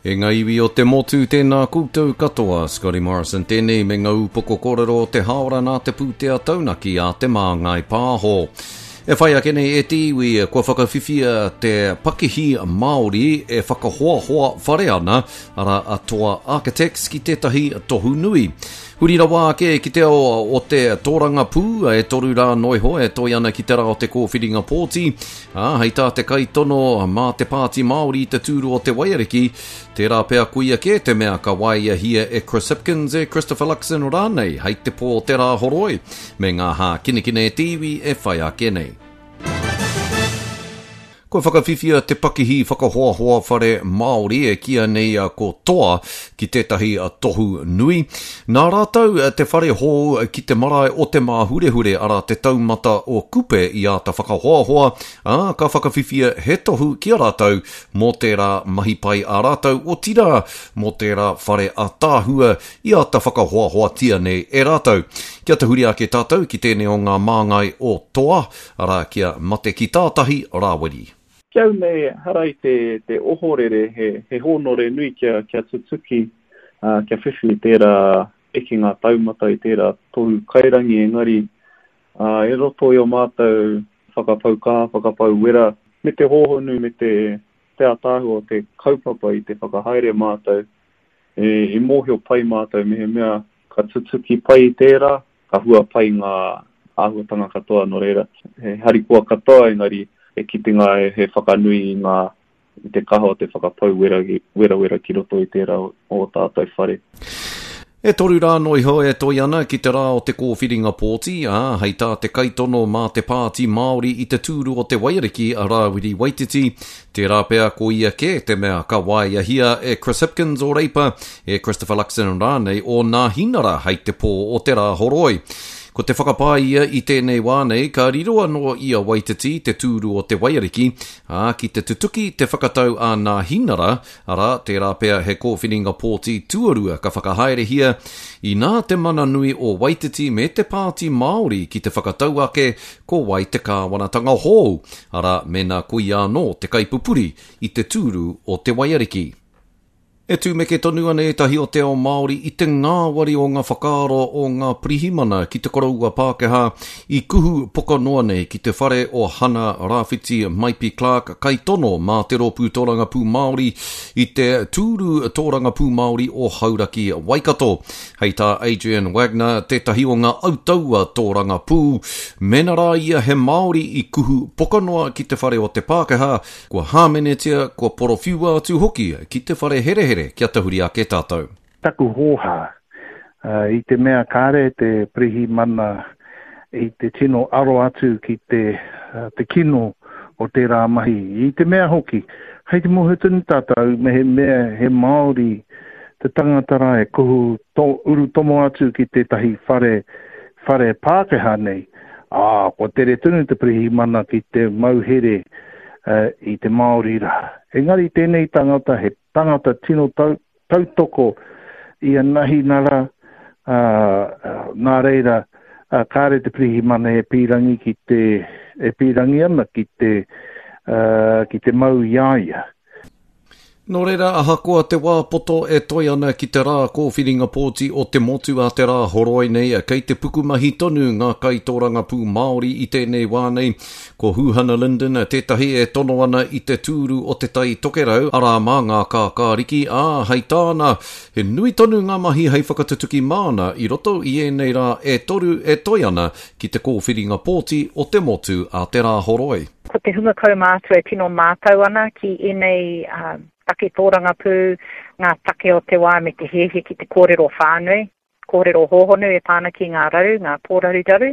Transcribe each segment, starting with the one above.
E ngā iwi o te motu, tēnā koutou katoa, Scotty Morrison tēnei me ngā upoko kōrero o te hāora nā te pūtea taunaki a Te Māngai Pāho. E whai ake nei e te iwi, kua whakawhiwhia te pakihi Māori e whakahoahoa whare ana, arā a Toa Architects ki tētahi tohu nui. Huri rawa ake ki te ao o te tōrangapū, e toru rā noiho e toi ana ki te rā o te kōwhiringa pōti, ā, hei tā te kaitono mā te Pāti Māori i te tūru o Te Waiariki, tērā pea koia kē te mea ka waeahia e Chris Hipkins, e Christopher Luxon rānei hei te pō o te Rāhoroi, me ngā hākinakina e te iwi e whai ake nei. Kua whakawhiwhia te pakihi whakahoahoa whare Māori e kīia nei ko Toa ki tētahi tohu nui. Nā rātou te whare hou ki te marae o Te Māhurehure, arā te taumata o Kupe i āta whakahoahoa, ā, ka whakawhiwhia he tohu ki a rātou mō tērā mahi pai a rātou, otirā, mō tērā whare ātaahua i āta whakahoahoatia nei e rātou. Kia tahuri ake tātou ki tēnei o ngā māngai o Toa, arā, kia mate ki tātahi, Rāwiri. Ki au nei, ehara i te, te ohorere, he, he hōnore nui kia, kia tutuki, ā, kia whiwhi i tērā ekenga taumata, i tērā tohu kairangi, engari, ā, i roto i ō mātou whakapau kaha, whakapau wera, me te hōhonu, me te, te ātaahua o te kaupapa i te whakahaere mātou, e, i mōhio pai mātou mehemea ka tutuki pai i tērā, ka hua pai ngā āhuatanga katoa, nō reira, he harikoa katoa, engari he kitenga he whakanui i ngā, i te kaha o te whakapau wera, werawera ki roto i tērā o ō tātou whare. E toru rā noa iho e toe ana ki te rā o te kōwhiringa pōti, ā, hei tā te kaitono mā te Pāti Māori i te tūru o Te Waiariki a Rāwiri Waititi, Tērā pea ko ia kē te mea ka waeahia e Chris Hipkins o Reipa, e Christopher Luxon rānei o Nāhinara hei te pō o te Rāhoroi. Ko te whakapae ia i tēnei wā nei ka riro anō i a Waititi te tūru o Te Waiariki, ā, ki te tutuki te whakatau a Nāhinara, arā, tērā pea he kōwhiringa pōti tuarua ka whakahaerehia, inā te mana nui o Waititi me te Pāti Māori ki te whakatau ake ko wai te kāwanatanga hou, arā, mēnā ko ia anō te kaipupuri i te tūru o Te Waiariki. E tumeke tonu ana ētahi o te ao Māori i te ngāwari o ngā whakaaro o ngā pirihimana ki te koroua Pākehā i kuhu poka noa nei ki te whare o Hana Rāwhiti Maipi Clarke kaitono mā te Rōpū Tōrangapū Māori i te tūru tōrangapū Māori o Hauraki Waikato. Hei tā Adrian Wagner, tētahi o ngā autaua tōrangapū, mēnā rā ia he Māori i kuhu poka noa ki te whare o te Pākehā, kua hāmenetia, kua porowhiua atu hoki ki te whare herehere kia tahuri ake tātou. Taku hōhā, i te mea kāre te pirihimana i te tino aro atu ki te, te kino o tērā mahi. I te mea hoki, hei te mōhio tonu tātou mehemea he Māori te tangata rā e kuhu to, urutomo atu ki tētahi whare, whare Pākehā nei, ā, kua tere tonu te pirihimana ki te mauhere uh, i te Māori rā. Engari tēnei tangata, he tangata tino tau, tautoko i a Nahinara, ā, nā reira, ā, kāre te pirihimana e pīrangi ki te, e pīrangi ana ki te, ā, ki te mau i a ia. Nō reira, ahakoa te wā poto e toe ana ki te rā kōwhiringa pōti o te motu a te rā horoi nei, kei te pukumahi tonu ngā kaitōrangapū Māori i tēnei wā nei. Ko Huhana Lyndon tētahi e tono ana i te tūru o Te Tai Tokerau, arā mā ngā kākāriki, ā, hei tāna, he nui tonu ngā mahi hei whakatutuki māna i roto i ēnei rā e toru e toe ana ki te kōwhiringa pōti o te motu a te rā horoi. Ko te hunga kaumātua e tino mātau ana ki ēnei take tōrangapū, ngā take o te wā me te hiahia ki te kōrero whānui, kōrero hōhonu e pā ana ki ngā raru, ngā pōraruraru,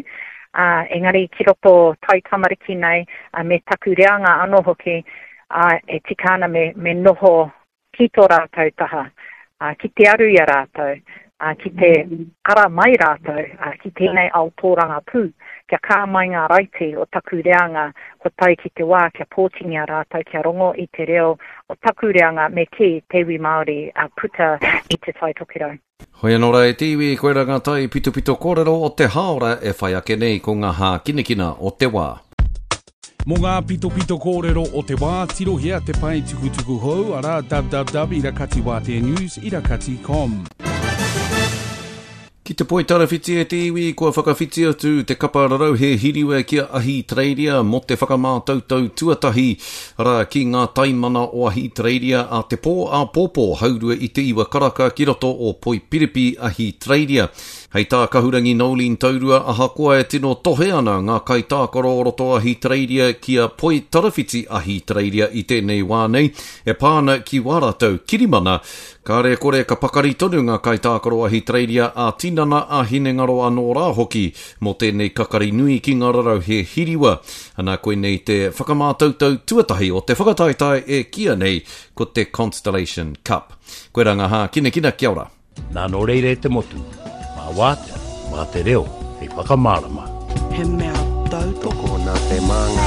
ā, engari ki roto taitamariki nei, me taku reanga anō hoki, ā, e tika ana me, me noho ki tō rātou taha, ā, ki te aru i a rātou, ā, ki te ara mai rātou, ā, ki tēnei ao tōrangapū, kia kā mai ngā raiti o taku reanga, kua tae ki te wā kia pōtingia rātou kia rongo i te reo o taku reanga me kī, te iwi Māori, ā, puta i Te Tai Tokerau. Hoi anō rā e te iwi, koirā ngā tai pitopito kōrero o te hāora e whai ake nei ko ngā hākinakina o te wā. Mō ngā pitopito kōrero o te wā, tirohia te pae tukutuku hou, arā, www ira kati wātea news ira kati com. Ki te poitarawhiti e te iwi, kua whakawhiti atu te kapa rarauhe hiriwa ki a Ahitereiria mō te whakamātautau tuatahi, arā, ki ngā taimana o Ahitereiria a te pō āpōpō haurua i te iwa karaka ki roto o Poipiripi, Ahitereiria. Hei tā Kahurangi Noeline Taurua, ahakoa e tino tohe ana ngā kaitākaro o roto Ahitereiria ki a Poitarawhiti Ahitereiria i tēnei wā nei, e pā ana ki wā rātou kirimana, kāre e kore ka pakari tonu ngā kaitākaro Ahitereiria ā-tinana, ā-hinengaro anō rā hoki mō tēnei kakari nui ki ngā rarauhe hiriwa. Ana, koinei te whakamātautau tuatahi o te whakataetae e kīia nei ko te Constellation Cup. Koirā ngā hākinakina, kia ora. Nā nō reira e te motu, mā wātea, mā te reo hei whakamārama. He mea tautoko. Tokona te māngai.